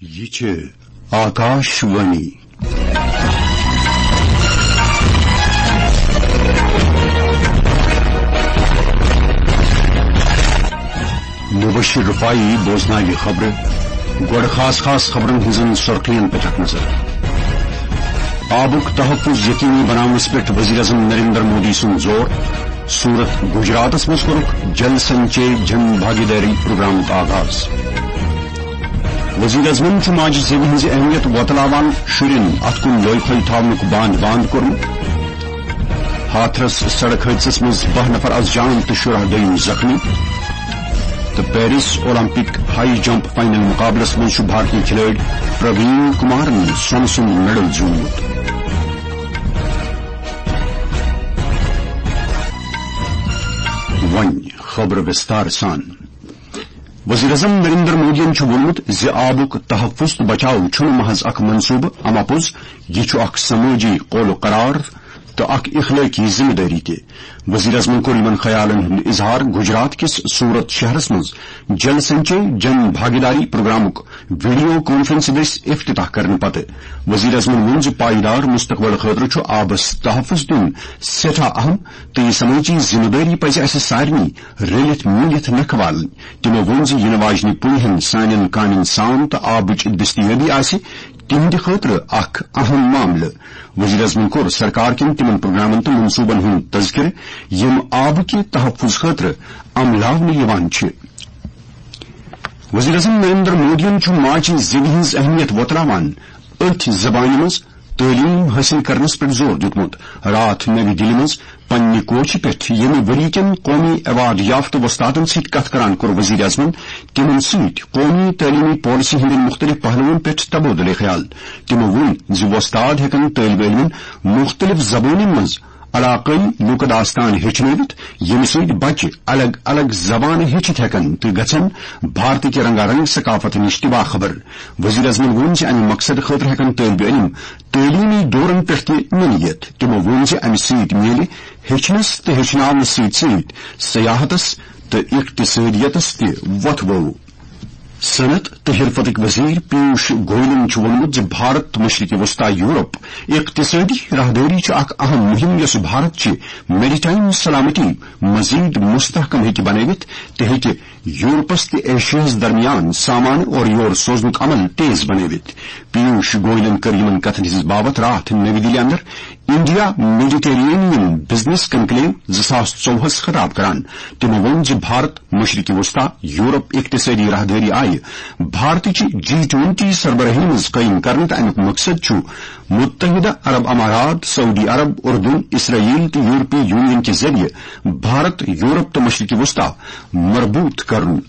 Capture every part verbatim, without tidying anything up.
یہِ چھِ آکاش وانی۔ مبشر رفاعی بوزناوِ خبرٕ۔ گۄڈٕ خاص خاص خبرن ہٕنٛزن سرخین پٮ۪ٹھ اکھ نظر۔ آبُک تحفظ یقینی بناونس پٮ۪ٹھ وزیر اعظم نریندر مودی سُنٛد زور۔ سورت گجراتس منٛز کوٚرُکھ جل سنچے جن بھاگیداری پروگرامُک آغاز۔ وزیر اعظمن چھُ ماجہِ زیوِ ہٕنٛز اہمیت وۄتلاوان شُرٮ۪ن اتھ کُن لوے پھوے تھاونُک باند باند کوٚرمُت۔ ہاتھرس سڑک حٲدثس منٛز باہ نفر از جان تہٕ شُراہ دوٚیِم زخمی۔ تہٕ Paris Olympic high jump final مقابلس منٛز چھُ بھارتی کھلٲڑۍ پروین کمارن سۄنہٕ سُنٛد میڈل زیوٗنمُت۔ وۄنۍ خبرٕ وِستار سان۔ وزیر اعظم نریندر مودیَن چھُ ووٚنمُت زِ آبُک تحفظ تہٕ بچاو چھُنہٕ محض اکھ منصوبہٕ، اما پوٚز یہِ چھُ اکھ سمٲجی قول و قرار تہٕ اکھ اخلٲقی ذمہٕ دٲری تہِ۔ وزیر اعظمَن کوٚر یِمَن خیالَن ہُنٛد اظہار گجرات کِس سورت شہرَس منٛز جل سنچے جن بھاگیداری پروگرامُک ویڈیو کانفرنس دٔسۍ افتتاح کرنہٕ پتہٕ۔ وزیر اعظمَن ووٚن زِ پائیدار مستقبل خٲطرٕ چھُ آبَس تحفظ دیُن سٮ۪ٹھاہ اہم تہٕ یہِ سمٲجی ذمہٕ دٲری پزِ اسہِ سارنٕے رٔلِتھ میٖلِتھ نکھٕ والٕنۍ۔ تِمو ووٚن زِ یِنہٕ واجنہِ پُیہِ ہن سانٮ۪ن کامٮ۪ن سام تہٕ آبٕچ دٔستیٲبی آسہِ تِہنٛدِ خٲطرٕ اکھ اہم معاملہٕ۔ وزیر اعظمن کوٚر سرکار کٮ۪ن تِمن پروگرامن تہٕ منصوبن ہُنٛد تذکرٕ، یِم آبہٕ کہِ تحفظ خٲطرٕ عملاونہٕ یِوان چھِ۔ وزیر اعظم نریندر مودیَن چھُ ماجہِ زیوِ ہٕنٛز اہمیت وۄتلاوان أتھۍ زبانہِ منٛز تعلیٖم حٲصِل کرنس پٮ۪ٹھ زور دیُتمُت۔ راتھ نَوِ دِلہِ منٛز پننہِ کوچہِ پٮ۪ٹھ ییٚمہِ ؤری کٮ۪ن قومی ایوارڈ یافتہٕ وۄستادن سۭتۍ کتھ کران کوٚر وزیر اعظمن تِمن سۭتۍ قومی تعلیمی پالیسی ہٕنٛدٮ۪ن مُختٔلِف پہلوَن پٮ۪ٹھ تبادلہٕ خیال۔ تِمو ووٚن زِ وۄستاد ہٮ۪کن طٲلبہِ علمن مُختٔلِف زبٲنۍ منٛز علاقٲیی لوٗکہٕ داستان ہیٚچھنٲوِتھ، ییٚمہِ سۭتۍ بچہِ الگ الگ زبانہٕ ہیٚچھِتھ ہٮ۪کن تہٕ گژھن بھارتٕکہِ رنگا رنگ ثقافت نِش تہِ باخبر۔ وزیر اعظمن ووٚن زِ امہِ مقصدٕ خٲطرٕ ہٮ۪کن طٲلبہِ علم تعلیمی دورن پٮ۪ٹھ تہِ نِنہٕ یِتھ۔ تِمو ووٚن زِ امہِ سۭتۍ میلہِ ہیٚچھنس تہٕ ہیٚچھناونس سۭتۍ سۭتۍ سیاحتس تہٕ اقتصٲدیتس تہِ وۄتھٕ بوٚو۔ صنعت تہٕ حرفتٕکۍ وزیر پیوش گوئلن چھُ ووٚنمُت زِ بھارت تہٕ مشرقی وسطی یورپ اقتصٲدی راہدٲری چھُ اکھ اہم مُہِم، یۄسہٕ بھارت چہِ میریٹائم سلامتی مزید مستحکم ہیٚکہِ بنٲوِتھ تہٕ ہیٚکہِ یورپس تہٕ ایشیاہس درمیان سامان اورٕ یور سوزنُک عمل تیز بنٲوِتھ۔ پیوش گوئلن کٔر یِمن کتھن ہٕنٛز باوتھ راتھ نٔوِ دِلہِ اندر انڈیا میڈیٹرینین بزنس کنکلیو زٕ ساس ژوٚوُہس خطاب کران۔ تِمو ووٚن زِ بھارت، مشرقی وسطی، یورپ اقتصٲدی راہدٲری آیہِ بھارتٕچہِ جی ٹوینٹی سربراہی منٛز قٲیِم کرنہٕ تہٕ امیُک مقصد چھُ متحدہ عرب امارات، سعودی عرب، اردن، اسرائیل تہٕ یورپی یونین کہِ ذٔریعہٕ بھارت، یورپ تہٕ مشرقی وسطی مربوط کرُن۔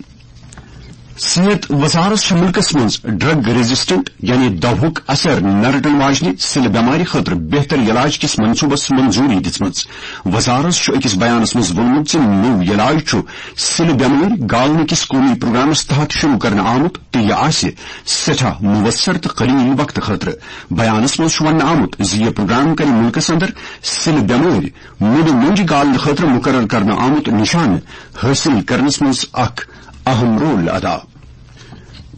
صحت وزارت چھِ مُلکَس منٛز ڈرگ ریزسٹنٹ یعنی دوہُک اثر نہ رٹن واجنہِ سِلہٕ بٮ۪مارِ خٲطرٕ بہتر علاج کِس منصوبس منظوری دِژمٕژ۔ وزارت چھُ أکِس بیانَس منٛز ووٚنمُت زِ نوٚو علاج چھُ سِلہٕ بٮ۪مٲرۍ گالنہٕ کِس قومی پروگرامَس تحت شروع کرنہٕ آمُت تہٕ یہِ آسہِ سٮ۪ٹھاہ مؤثر تہٕ قلیل وقتہٕ خٲطرٕ۔ بیانَس منٛز چھُ وننہٕ آمُت زِ یہِ پروگرام کرِ مُلکَس اندر سِلہٕ بٮ۪مٲرۍ مُنڈٕ مۄنجہِ گالنہٕ خٲطرٕ مُقرر کرنہٕ آمُت نشانہٕ حٲصِل کرنَس منٛز اکھ اہم رول ادا۔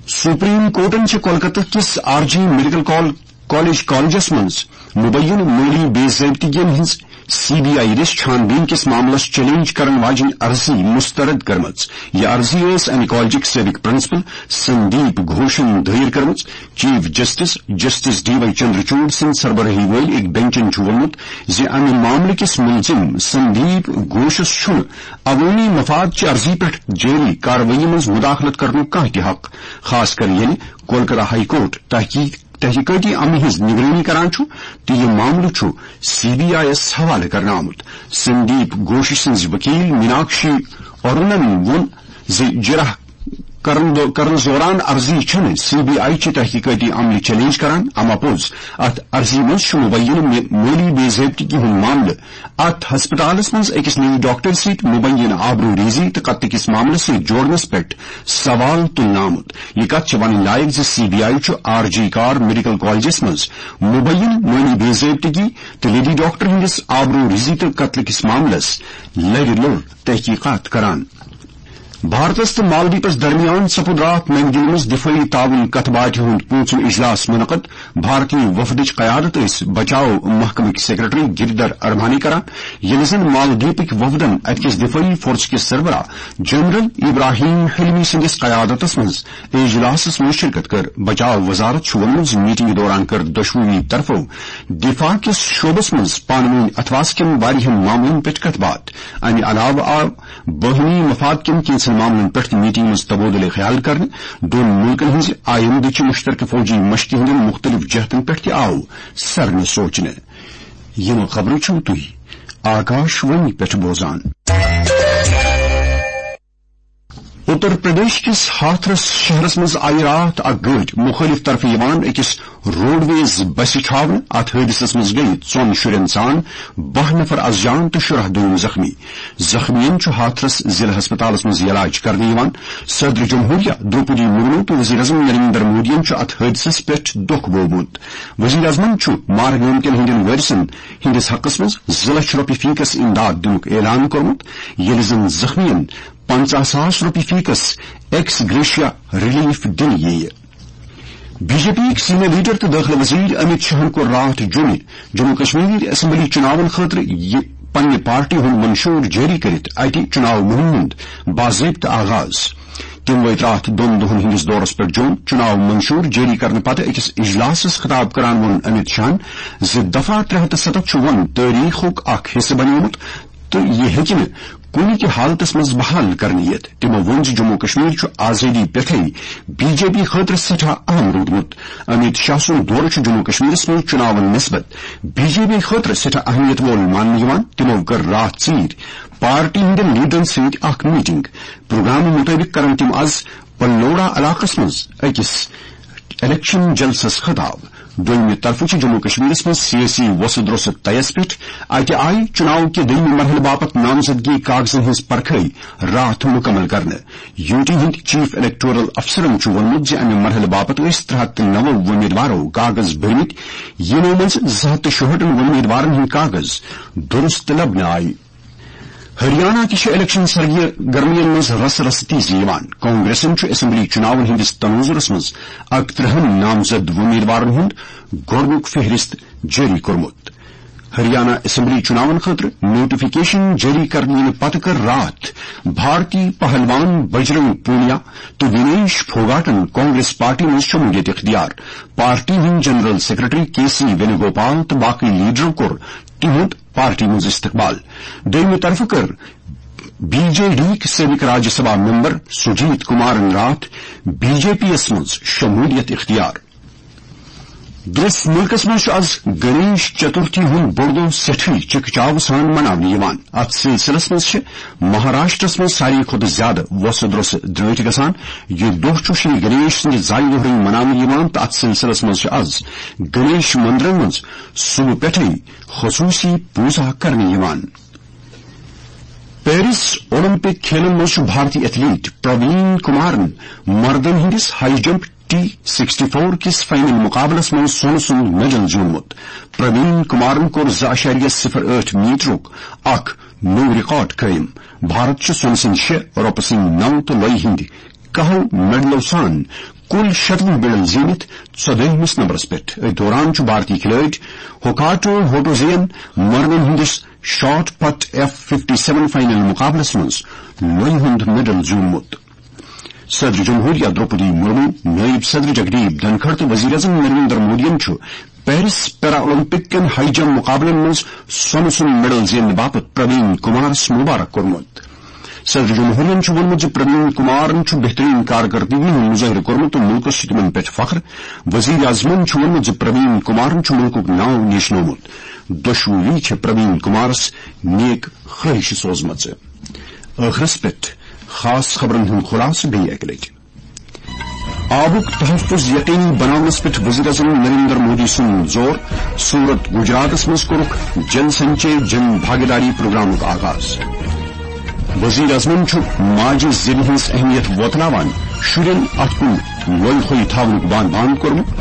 سپریم کورٹن چھِ کولکتہ کِس آر جی میڈیکل کال-، کالج کالجس منٛز مبینہٕ مٲلی بے ضٲبطگین ہٕنٛز سی بی آئی دٔسۍ چھان بیٖن کِس معاملس چیلنج کرن واجیٚنۍ عرضی مسترد کٔرمٕژ۔ یہِ عرضی ٲس امہِ کالجٕکۍ سٲبق پرنسپل سندیپ گھوشن دٲیر کٔرمٕژ۔ Chief justice justice D Y Chandrachud سٕنٛدِ سربرٲہی وٲلۍ أکۍ بینچن چھُ ووٚنمُت زِ امہِ معاملہٕ کِس مُلزِم سندیپ گھوشس چھُنہٕ عوٲمی مفاد چہِ عرضی پٮ۪ٹھ جٲری کاروٲیی منٛز مداخلت کرنُک کانٛہہ تہِ حق، خاص کر ییٚلہِ کولکتہ ہائی کورٹ تحقیق، تحقیقٲتی عملہِ ہٕنٛز نگرٲنی کران چھُ تہٕ یہِ معاملہٕ چھُ سی بی آئی یَس حوالہٕ کرنہٕ آمُت۔ سندیپ گھوش سٕنٛزِ وکیل میناکشی ارونن ووٚن زِ جرح کرن دو-، کرنس دوران عرضی چھنہٕ سی بی آئی چہِ تحقیقٲتی عملہِ چیلنج کران، اما پوٚز اتھ عرضی منٛز چھُ مبینہٕ مے-، مٲلی بے ضٲبطگی ہُنٛد معاملہٕ اتھ ہسپتالس منٛز أکِس نٔوِس ڈاکٹر سۭتۍ مبینہٕ آبروٗ ریزی تہٕ قتلہٕ کِس معاملس سۭتۍ جوڑنس پٮ۪ٹھ سوال تُلنہٕ آمُت۔ یہِ کتھ چھِ ونٕنۍ لایق زِ سی بی آئی چھُ آر جی کار میڈیکل کالجس منٛز مبینہٕ مٲلی بے ضٲبطگی تہٕ لیڈی ڈاکٹر ہٕنٛدِس آبروٗ ریزی تہٕ قتلہٕ کِس معاملس لرِ لوٚر تحقیقات کران۔ بھارتس تہٕ مالدیپس درمیان سپُد راتھ نَوِ دِلہِ منٛز دِفٲعی تعاون کتھ باتھِ ہُنٛد پوٗنٛژِم اجلاس منعقد۔ بھارتی وفدٕچ قیادت ٲسۍ بچاو محکمٕکۍ سیکرٹری گریدھر ارمانی کران، ییٚلہِ زن مالدیپٕکۍ وفدن اتہِ کِس دِفٲعی فورسہٕ کِس سربراہ جنرل ابراہیم حلمی سٕنٛدِس قیادتس منٛز اجلاسس منٛز شرکت کٔر۔ بچاو وزارت چھُ ووٚنمُت زِ میٹنگہِ دوران کٔر دۄشوٕنی طرفو دفاع کِس شعبس منٛز پانہٕ وٲنۍ اتھواس کٮ۪ن واریاہن معاملن پٮ۪ٹھ کتھ باتھ۔ امہِ علاوٕ آو باہمی مفاد کٮ۪ن کینٛژن معاملن پٮ۪ٹھ تہِ میٹنگہِ منٛز تبادلہٕ خیال کرنہٕ۔ دۄن مُلکن ہٕنٛزِ آیندٕچہِ مُشترکہٕ فوجی مشقہِ ہٕنٛدٮ۪ن مُختٔلِف جہتن پٮ۪ٹھ تہِ آو سرنہٕ سونچنہٕ۔ یِم خبرٕ چھِو تُہۍ آکاش وانی پٮ۪ٹھ بوزان۔ اتر پردیش کِس ہاتھرس شہرس منٛز آیہِ راتھ اکھ گٲڑۍ مُخٲلِف طرفہٕ یِوان أکِس روڈویز بسہِ چھاونہٕ۔ اتھ حٲدثس منٛز گٔیہِ ژۄن شُرٮ۪ن سان باہ نفر از جان تہٕ شُراہ دوٚیِم زخمی۔ زخمیَن چھُ ہاتھرس ضلع ہسپتالس منٛز علاج کرنہٕ یِوان۔ صدر جمہوریہ درٛوپدی مرمو تہٕ وزیر اعظم نریندر مودیَن چھُ اتھ حٲدثس پٮ۪ٹھ دۄکھ بوومُت۔ وزیر اعظمن چھُ مارٕ گٲمتٮ۪ن ہٕنٛدٮ۪ن وٲرثن ہٕنٛدِس حقس منٛز زٕ لچھ رۄپیہِ فیکس امداد دِنُک اعلان کوٚرمُت، ییٚلہِ زن زخمیَن پنژاہ ساس رۄپیہِ فیکس ایکس گریشیا ریلیف دِنہٕ یِیہِ۔ بی جے پی یِکۍ سینئر لیڈر تہٕ دٲخلہٕ وزیر امیت شاہن کوٚر راتھ جمعہ جموں کشمیر اسمبلی چُناون خٲطرٕ یہِ پننہِ پارٹی ہُنٛد منشور جٲری کٔرِتھ اتہِ چُناو مُہِمہِ ہُنٛد باضٲبطہٕ آغاز۔ تٔمۍ وٲتۍ راتھ دۄن دۄہن ہٕنٛدِس دورس پٮ۪ٹھ جوٚم۔ چُناو منشور جٲری کرنہٕ پتہٕ أکِس اجلاسس خطاب کران ووٚن امیت شاہن زِ دفعہ ترٛےٚ ہتھ تہٕ ستتھ چھُ وۄنۍ تٲریخُک اکھ حصہٕ بنیومُت تہٕ یہِ ہیٚکہِ نہٕ کُنہِ تہِ حالتس منٛز بحال کرنہٕ یِتھ۔ تِمو ووٚن زِ جموں کشمیر چھُ آزٲدی پٮ۪ٹھے بی جے پی خٲطرٕ سٮ۪ٹھاہ اہم روٗدمُت۔ امیت شاہ سُنٛد دورٕ چھُ جموں کشمیرس منٛز چُناون نسبت بی جے پی خٲطرٕ سٮ۪ٹھاہ اہمیت وول ماننہٕ یِوان۔ تِمو کٔر راتھ ژیٖرۍ پارٹی ہٕنٛدٮ۪ن لیڈرن سۭتۍ اکھ میٹنگ۔ پروگرامہٕ مُطٲبِق کرن تِم از پلوڑا علاقس منٛز أکِس الیکشن جلسس خطاب۔ دوٚیمہِ طرفہٕ چھِ جموں کشمیرس منٛز سیٲسی وۄسہٕ درۄسہٕ طیس پٮ۪ٹھ اتہِ آیہِ چُناو کہِ دوٚیمہِ مرحلہٕ باپتھ نامزدگی کاغذن ہٕنٛز پرکھٲے راتھ مُکمل کرنہٕ۔ یوٗ ٹی ہٕنٛدۍ چیف الیکٹورل افسرن چھُ ووٚنمُت زِ امہِ مرحلہٕ باپتھ ٲسۍ ترٛےٚ ہتھ تہٕ نَو وۄمیدوارو کاغذ بٔرمٕتۍ، یِمو منٛز زٕ ہتھ تہٕ شُہٲٹھن وۄمیدوارن ہٕنٛدۍ کاغذ درست لبنہٕ آیہِ۔ ہریانہ تہِ چھِ الیکشن سرگرمیَن منٛز رسہٕ رسہٕ تیزی یِوان۔ کانگریسن چھُ اسمبلی چُناون ہٕنٛدِس تناظرس منٛز اکترٕہن نامزد وۄمیدوارن ہُنٛد گۄڈٕنیُک فہرست جٲری کوٚرمُت۔ ہریانہ اسمبلی چُناون خٲطرٕ نوٹیفکیشن جٲری کرنہٕ یِنہٕ پتہٕ کٔر راتھ بھارتی پہلوان بجرنگ پونیا تہٕ وینیش پھوگاٹن کانگریس پارٹی منٛز شمولیت اختیار۔ پارٹی ہٕنٛدۍ جنرل سیکرٹری کے سی وینوگوپال تہٕ باقٕے لیڈرو کوٚر تِہُنٛد پارٹی منٛز استقبال۔ دوٚیمہِ طرفہٕ کٔر بی جے ڈی یِکۍ سٲبِق راجیہ سبھا ممبر سجیت کمارن راتھ بی جے پی یَس منٛز شمولیت اختیار۔ درس مُلکس منٛز چھُ از گنیش چترتھی ہُنٛد بوٚڑ دۄہ سٮ۪ٹھٕے چکہٕ چاوٕ سان مناونہٕ یِوان۔ اتھ سلسلس منٛز چھِ مہاراشٹرس منٛز ساروی کھۄتہٕ زیادٕ وۄسہٕ درۄسہٕ درٲٹھۍ گژھان۔ یہِ دۄہ چھُ شری گنیش سٕنٛدِ زایہِ دۄہ رٲژ مناونہٕ یِوان تہٕ اتھ سلسلس منٛز چھِ از گنیش مندرن منٛز صبح پٮ۪ٹھٕے خصوٗصی پوٗزا کرنہٕ یِوان۔ پیرس اولمپک کھیلن منٛز چھُ بھارتی ایتھلیٹ پروین کمارن مردن ہٕنٛدِس high jump T sixty four کِس فائنل مقابلس منٛز سۄنہٕ سُنٛد میڈل زیوٗنمُت۔ پروین کمارن کوٚر زٕ اعشاریہ صفر ٲٹھ میٹرُک اکھ نوٚو ریکارڈ قٲیِم۔ بھارت چھُ سۄنہٕ سٕنٛدۍ شےٚ، رۄپہٕ سٕنٛدۍ نَو تہٕ لۄیہِ ہٕنٛدۍ کاہو میڈلو سان کُل شتوُہ میڈل زیٖنِتھ ژۄدٲہمِس نمبرس پٮ۪ٹھ۔ أتھۍ دوران چھُ بھارتی کھلٲڑۍ ہوکاٹو ہوٹوزین مردن ہٕنٛدِس شاٹ پٹ ایف ففٹی سیون فائنل مقابلس منٛز لۄیہِ ہُنٛد میڈل زیوٗنمُت۔ صدر جمہوریہ درٛوپدی مرمو، نٲیِب صدر جگدیپ دھنکھڑ تہٕ وزیر اعظم نریندر مودیَن چھُ پیرس پیرا اولمپک کٮ۪ن ہائی جمپ مقابلن منٛز سۄنہٕ سُنٛد میڈل زیننہٕ باپتھ پروین کمارس مبارک کوٚرمُت۔ صدر جمہوریہن چھُ ووٚنمُت زِ پروین کمارن چھُ بہترین کارکردگی ہُنٛد مظٲہرٕ کوٚرمُت تہٕ مُلکَس چھُ تِمَن پٮ۪ٹھ فخر۔ وزیر اعظمَن چھُ ووٚنمُت زِ پروین کمارن چھُ مُلکُک ناو نیشنومُت۔ دۄشوٕنی چھِ پروین کمارس نیک خٲہِشہٕ سوزمژٕ۔ ٲخرس پٮ۪ٹھ خاص خبرن ہُنٛد خُلاصہٕ بیٚیہِ اَکہِ لٹہِ۔ آبُک تحفظ یقینی بناونس پٮ۪ٹھ وزیر اعظم نریندر مودی سُنٛد زور۔ سورت گجراتس منٛز کوٚرُکھ جل سنچے جن بھاگیداری پروگرامُک آغاز۔ وزیر اعظمن چھُ ماجہِ زیوِ ہٕنٛز اہمیت وۄتلاوان شُرٮ۪ن اتھ کُن لۄنہِ پھوٚے تھاونُک بان بان کوٚرمُت۔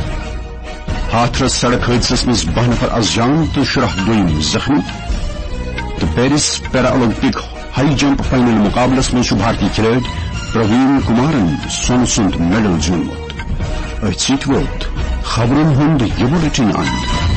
ہاتھرس سڑک حٲدثس منٛز باہ نفر از جان تہٕ شُراہ دوٚیِم زخمی۔ تہٕ پیرس پیرا اولمپک ہائی جمپ فائنل مقابلس منٛز چھُ بھارتی کھلٲڑۍ پروین کمارن سۄنہٕ سُنٛد میڈل زیوٗنمُت۔ أتھۍ سۭتۍ ووت خبرن ہُنٛد یہِ بُلٹن اند۔